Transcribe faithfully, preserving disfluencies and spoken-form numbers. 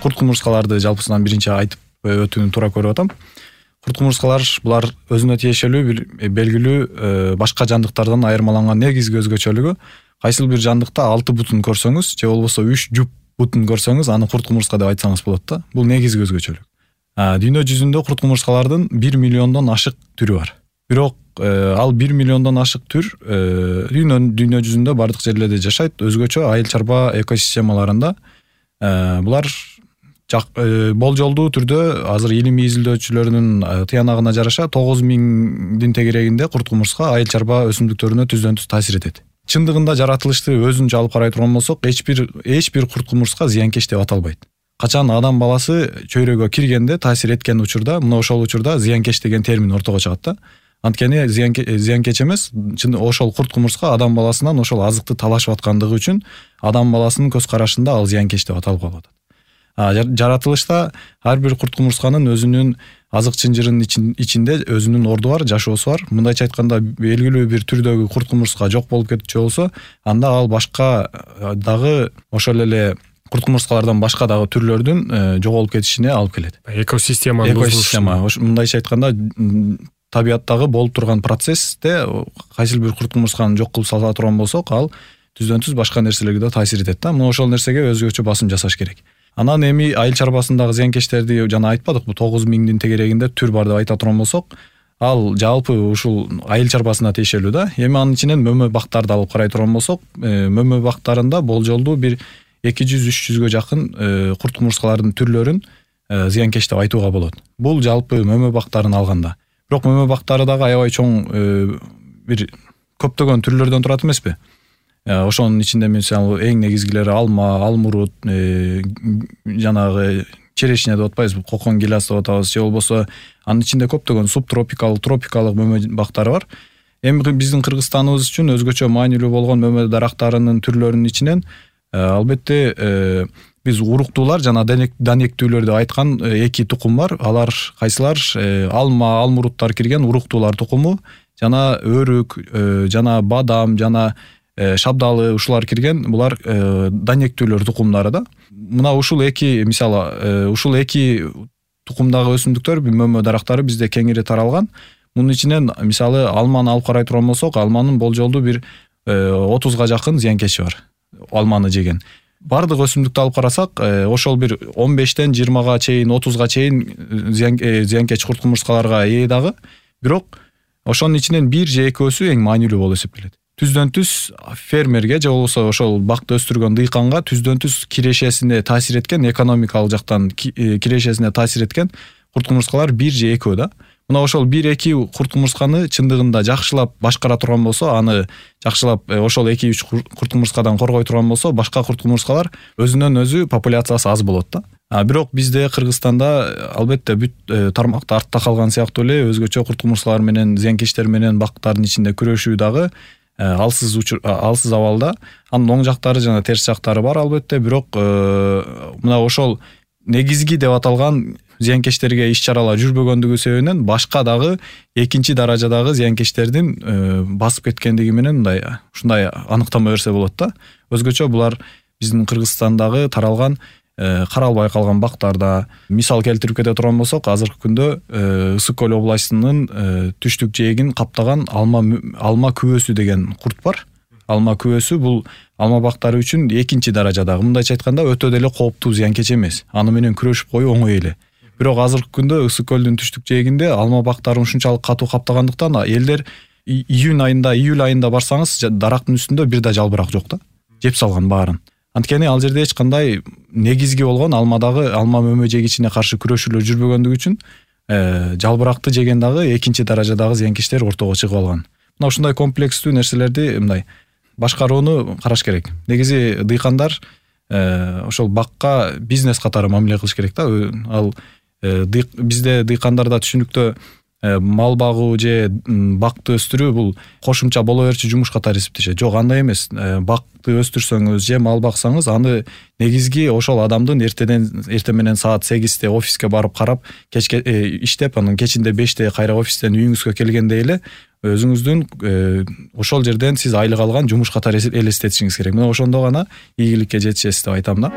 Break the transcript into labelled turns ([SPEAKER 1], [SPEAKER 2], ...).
[SPEAKER 1] курт кумурскаларды жалпысынан биринчи айтып өтүүнү туура көрүп атам. Курт кумурскалар булар өзүнө тиешелүү бир белгилүү башка жандыктардан айырмаланган негизги өзгөчөлүгү, кайсыл бир жандыкта алты бутун көрсөңүз же болбосо үч жуп бутун көрсөңүз, аны курт кумурска деп айтсаңыз болот да. Бул негизги өзгөчөлүк. Дүйнө жүзүндө курт кумурскалардын бир миллиондон ашык түрү бар. Бирок ал бир миллиондон ашык түр дүйнө дүйнө жүзүндө бардык жерлерде жашайт, өзгөчө айыл чарба экосистемаларында. Булар болжолдуу түрдө азыр илимий изилдөөчүлөрдүн тыянагына жараша тогуз миңдин тегерегинде курт кумурска айыл чарба өсүмдүктөрүнө түздөн түз таасир этет. Чындыгында жаратылышты өзүнчө алып карай турган болсок, эч бир эч бир курт кумурска зыянкеч деп аталбайт. Качан адам баласы чөйрөгө киргенде таасир эткен учурда, мына ошол учурда зыянкеч деген термин ортого чыгат да. Анткени зыянкеч эмес, ошол курт кумурска адам баласынан ошол азыкты талашып аткандыгы үчүн адам баласынын көз карашында ал зыянкеч деп аталып калып атат. Жаратылышта ар бир курт кумурсканын өзүнүн азык чынжырынын ичинде өзүнүн орду бар, жашоосу бар. Мындайча айтканда, белгилүү бир түрдөгү курт кумурска жок болуп кетчү болсо, анда ал башка дагы ошол эле курт кумурскалардан башка дагы түрлөрдүн жоголуп кетишине алып келет.
[SPEAKER 2] Экосистема
[SPEAKER 1] экосистема мындайча айтканда табияттагы болуп турган процессте кайсыл бир курт кумурсканы жок кылып сала турган болсок, ал түздөн түз башка нерселерге да таасир этет да. Мына ошол нерсеге өзгөчө басым жасаш керек. Анан эми айыл чарбасындагы зыянкечтерди жана айтпадыкпы, тогуз миңдин тегерегинде түр бар деп айта турган болсок, ал жалпы ушул айыл чарбасына тиешелүү да. Эми анын ичинен мөмө бактарды алып карай турган болсок, мөмө бактарында болжолдуу бир эки жүз үч жүзгө жакын курт кумурскалардын түрлөрүн зыянкеч деп айтууга болот. Бул жалпы мөмө бактарын алганда. Бирок мөмө бактары дагы аябай чоң бир көптөгөн түрлөрдөн турат эмеспи? Ошонун ичинде мисалы эң негизгилери алма, алмурут, жанагы черешня деп атпайбызбы, кокон гиляс деп атабыз, же болбосо анын ичинде көптөгөн субтропикалык, тропикалык мөмө бактары бар. Эми биздин Кыргызстаныбыз үчүн өзгөчө маанилүү болгон мөмө дарактарынын түрлөрүнүн ичинен албетте биз уруктуулар жана данектүүлөр деп айткан эки тукум бар. Алар кайсылар? Алма, алмуруттар кирген уруктуулар тукуму, жана өрүк, жана бадам, жана шабдалы ушулар кирген, булар данектүүлөр тукумдары да. Мына ушул эки, мисалы, ушул эки тукумдагы өсүмдүктөр, мөмө дарактары бизде кеңири таралган. Мунун ичинен мисалы алманы алып карай турган болсок, алманын болжолдуу бир отузга жакын зыянкечи бар. Алманы жеген. Бардык өсүмдүктү алып карасак, ошол бир он бештен жыйырмага чейин, отузга чейин зыянкеч курт кумурскаларга ээ дагы. Бирок ошонун ичинен бир же экөөсү эң маанилүү болуп эсептелет. Түздөн түз фермерге же болбосо ошол бакты өстүргөн дыйканга түздөн түз кирешесине таасир эткен, экономикалык жактан кирешесине таасир эткен курт кумурскалар бир же экөө да. Мына ошол бир эки курт кумурсканы чындыгында жакшылап башкара турган болсо, аны жакшылап ошол эки үч курт кумурскадан коргой турган болсо, башка курт кумурскалар өзүнөн өзү популяциясы аз болот да. А бирок бизде Кыргызстанда албетте бүт тармакта артта калган сыяктуу эле өзгөчө курт кумурскалар менен, зыянкечтер менен бактардын ичинде күрөшүү дагы алсыз алсыз абалда. Анын оң жактары жана терс жактары бар албетте, бирок мына ошол негизги деп аталган зыянкечтерге иш-чаралар жүрбөгөндүгү себебинен башка дагы экинчи даражадагы зыянкечтердин басып кеткендиги менен мындай ушундай аныктама берсе болот да. Өзгөчө булар биздин Кыргызстандагы таралган каралбай калган бактарда. Мисал келтирип кете турган болсок, азыркы күндө Ысык көл областынын түштүк жээгин каптаган алма алма күбөсү деген курт бар. Алма күбөсү бул алма бактары үчүн экинчи даражадагы, мындайча айтканда өтө деле кооптуу зыянкеч эмес. Аны менен күрөшүп коюу оңой эле. Бирок азыркы күндө Ысык көлдүн түштүк жээгинде алма бактарын ушунчалык катуу каптагандыктан элдер июнь айында, июль айында барсаңыз, дарактын үстүндө бир да жалбырак жок да. Жеп салган баарын. Анткени ал жерде эч кандай негизги болгон алмадагы алма мөмө жегичине каршы күрөшүүлөр жүрбөгөндүгү үчүн жалбыракты жеген дагы экинчи даражадагы зыянкечтер ортого чыгып алган. Мына ушундай комплекстүү нерселерди мындай башкарууну караш керек. Негизи дыйкандар ошол бакка бизнес катары мамиле кылыш керек да. Ал бизде дыйкандарда түшүнүктө мал багуу же бакты өстүрүү бул кошумча боло берчү жумуш катары эсептешет. Жок, андай эмес. Бакты өстүрсөңүз же мал баксаңыз, аны негизги ошол адамдын эртеден эртең менен саат сегизде офиске барып карап, кечке иштеп, анын кечинде беште кайра офистен үйүңүзгө келгенде эле өзүңүздүн ошол жерден сиз айлык алган жумуш катары элестетишиңиз керек. Мына ошондо гана ийгиликке жетишесиз деп айтам да.